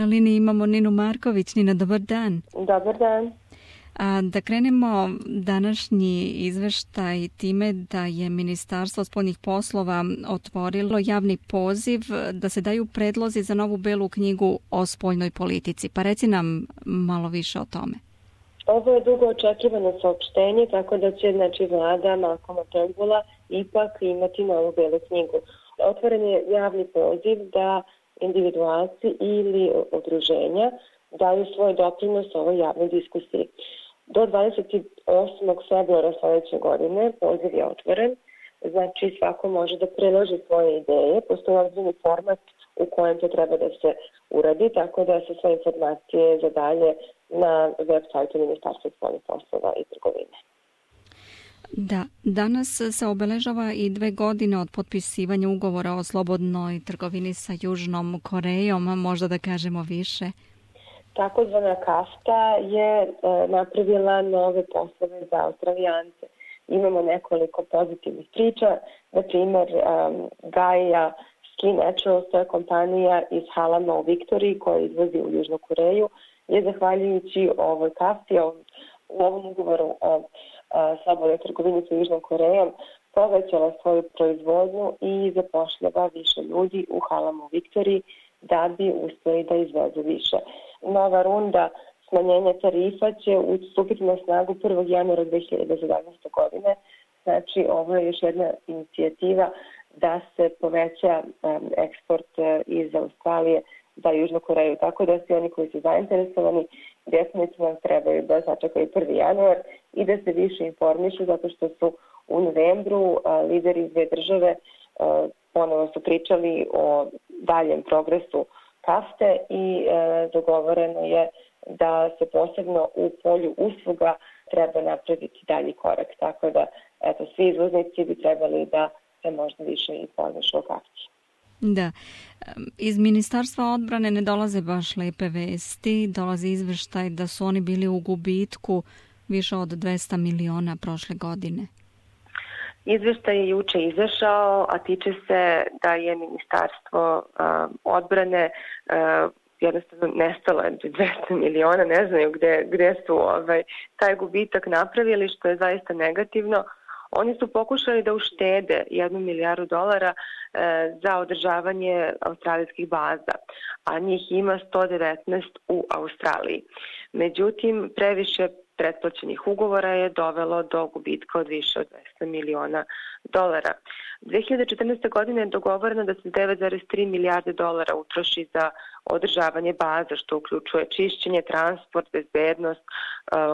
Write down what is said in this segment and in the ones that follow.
Na liniji imamo Ninu Marković. Nina, dobar dan. Dobar dan. Da krenemo današnji izveštaj time da je Ministarstvo spoljnih poslova otvorilo javni poziv da se daju predlozi za novu belu knjigu o spoljnoj politici. Pa reci nam malo više o tome. Ovo je dugo očekivano saopštenje, tako da će vlada Malcolma Turnbulla ipak imati novu belu knjigu. Otvoren je javni poziv da individualci ili udruženja daju svoj doprinos ovoj javnoj diskusiji. Do 28. februara sledeće godine poziv je otvoren, znači svako može da preloži svoje ideje, postoji određeni format u kojem to treba da se uradi, tako da se sve informacije za dalje na web sajtu Ministarstva spoljnih poslova i trgovine. Da, danas se obeležava i 2 godine od potpisivanja ugovora o slobodnoj trgovini sa Južnom Korejom, možda da kažemo više. Takozvana CAFTA je napravila nove poslove za Australijance. Imamo nekoliko pozitivnih priča, na primjer Gaia Skin Naturals, to je kompanija iz Halama u Viktoriji koja izvozi u Južnu Koreju, je zahvaljujući ovoj CAFTA-i, u ovom ugovoru o slobodnoj trgovini sa Južnom Korejom, povećala svoju proizvodnju i zapošljava više ljudi u Halamu u Viktoriji da bi uspeli da izvezu više. Nova runda smanjenja tarifa će stupiti na snagu 1. januara 2017. godine. Znači, ovo je još jedna inicijativa da se poveća eksport iz Australije za Južnu Koreju. Tako da svi oni koji su zainteresovani definitivno trebaju da sačekaju 1. januar i da se više informišu, zato što su u novembru lideri iz 2 države ponovo su pričali o daljem progresu CAFTA i dogovoreno je da se posebno u polju usluga treba napraviti dalji korak. Tako da, eto, svi izvoznici bi trebali da se možda više informišu o CAFTA. Da, iz Ministarstva odbrane ne dolaze baš lepe vesti, dolazi izveštaj da su oni bili u gubitku više od 200 miliona prošle godine. Izveštaj je juče izašao, a tiče se da je Ministarstvo odbrane jednostavno nestalo 200 miliona, ne znaju gde su taj gubitak napravili, što je zaista negativno. Oni su pokušali da uštede $1 milijardu za održavanje australijskih baza, a njih ima 119 u Australiji. Međutim, previše pretplaćenih ugovora je dovelo do gubitka od više od $200 miliona. 2014. godine je dogovoreno da se $9,3 milijarde utroši za održavanje baza, što uključuje čišćenje, transport, bezbednost,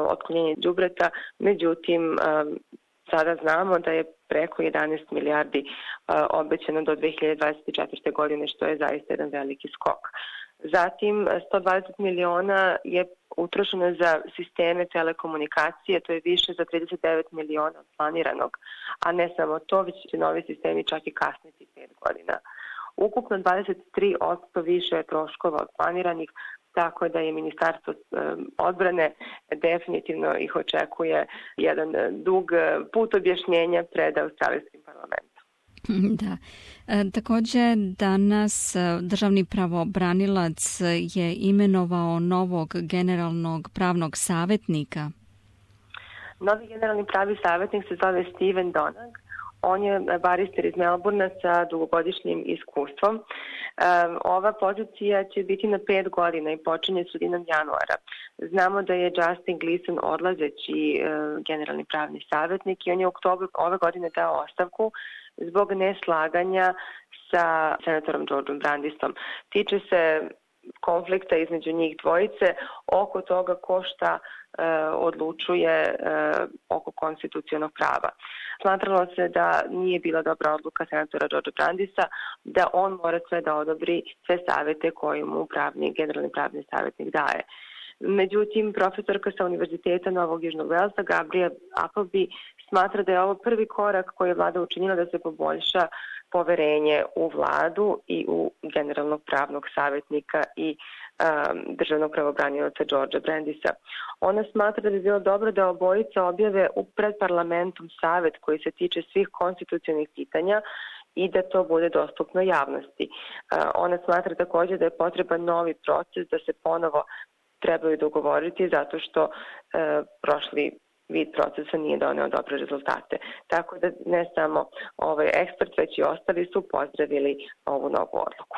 otklonjenje đubreta. Međutim, sada znamo da je preko 11 milijardi obećano do 2024. godine, što je zaista jedan veliki skok. Zatim, 120 miliona je utrošeno za sisteme telekomunikacije, to je više za 39 miliona od planiranog, a ne samo to, već će novi sistemi čak i kasniti 5 godina. Ukupno 23% više je troškova od planiranih, tako da je Ministarstvo odbrane definitivno ih očekuje jedan dug put objašnjenja pred australijskim parlamentom. Da. Također danas državni pravobranilac je imenovao novog generalnog pravnog savjetnika. Novi generalni pravi savjetnik se zove Steven Donag. On je barister iz Melbourna sa dugogodišnjim iskustvom. Ova pozicija će biti na 5 godina i počinje sredinom januara. Znamo da je Justin Gleeson odlazeći generalni pravni savjetnik i on je u oktobru ove godine dao ostavku zbog neslaganja sa senatorom Georgeom Brandisom. Tiče se konflikta između njih dvojice oko toga ko šta odlučuje oko konstitucionog prava. Smatralo se da nije bila dobra odluka senatora Georgea Brandisa, da on mora sve da odobri sve savete koje mu generalni pravni savjetnik daje. Međutim, profesorka sa Univerziteta Novog Južnog Velsa, Gabriela Appleby, smatra da je ovo prvi korak koji je vlada učinila da se poboljša poverenje u vladu i u generalnog pravnog savjetnika i državnog pravobranioca Georgea Brandisa. Ona smatra da bi bilo dobro da obojica objave pred parlamentom savet koji se tiče svih konstitucionalnih pitanja i da to bude dostupno javnosti. Ona smatra takođe da je potreban novi proces, da se ponovo trebaju dogovoriti zato što prošli vid procesa nije doneo dobre rezultate. Tako da ne samo ekspert, već i ostali su pozdravili ovu novu odluku.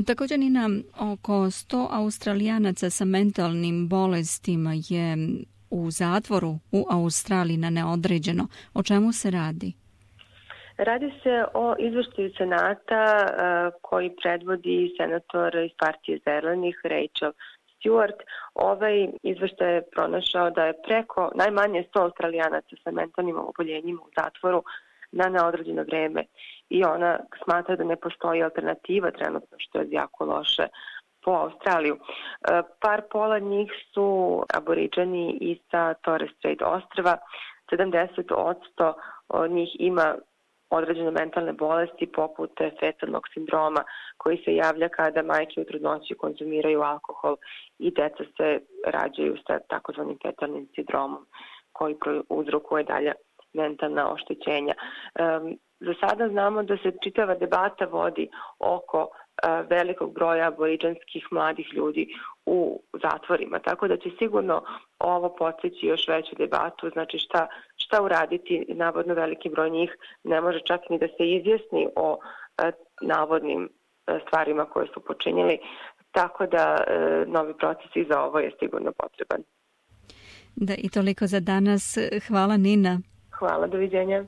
Također, Nina, oko 100 Australijanaca sa mentalnim bolestima je u zatvoru u Australiji na neodređeno. O čemu se radi? Radi se o izveštaju Senata koji predvodi senator iz partije Zelenih Rachel Stewart. Ovaj izveštaj je pronašao da je preko najmanje 100 Australijanaca sa mentalnim oboljenjima u zatvoru na neodređeno vreme i ona smatra da ne postoji alternativa trenutno, što je jako loše po Australiju. Pola njih su aboriđani i sa Torres Strait ostrva. 70% od njih ima određene mentalne bolesti poput fetalnog sindroma koji se javlja kada majke u trudnoći konzumiraju alkohol i deca se rađaju sa takozvanim fetalnim sindromom koji uzrokuje dalje mentalna oštećenja. Za sada znamo da se čitava debata vodi oko velikog broja aboriđanskih mladih ljudi u zatvorima, tako da će sigurno ovo podsjeći još veću debatu, znači šta uraditi, navodno veliki broj njih ne može čak ni da se izjasni o navodnim stvarima koje su počinjeli, tako da novi proces i za ovo je sigurno potreban. Da, i toliko za danas. Hvala, Nina. Hvala, doviđenja.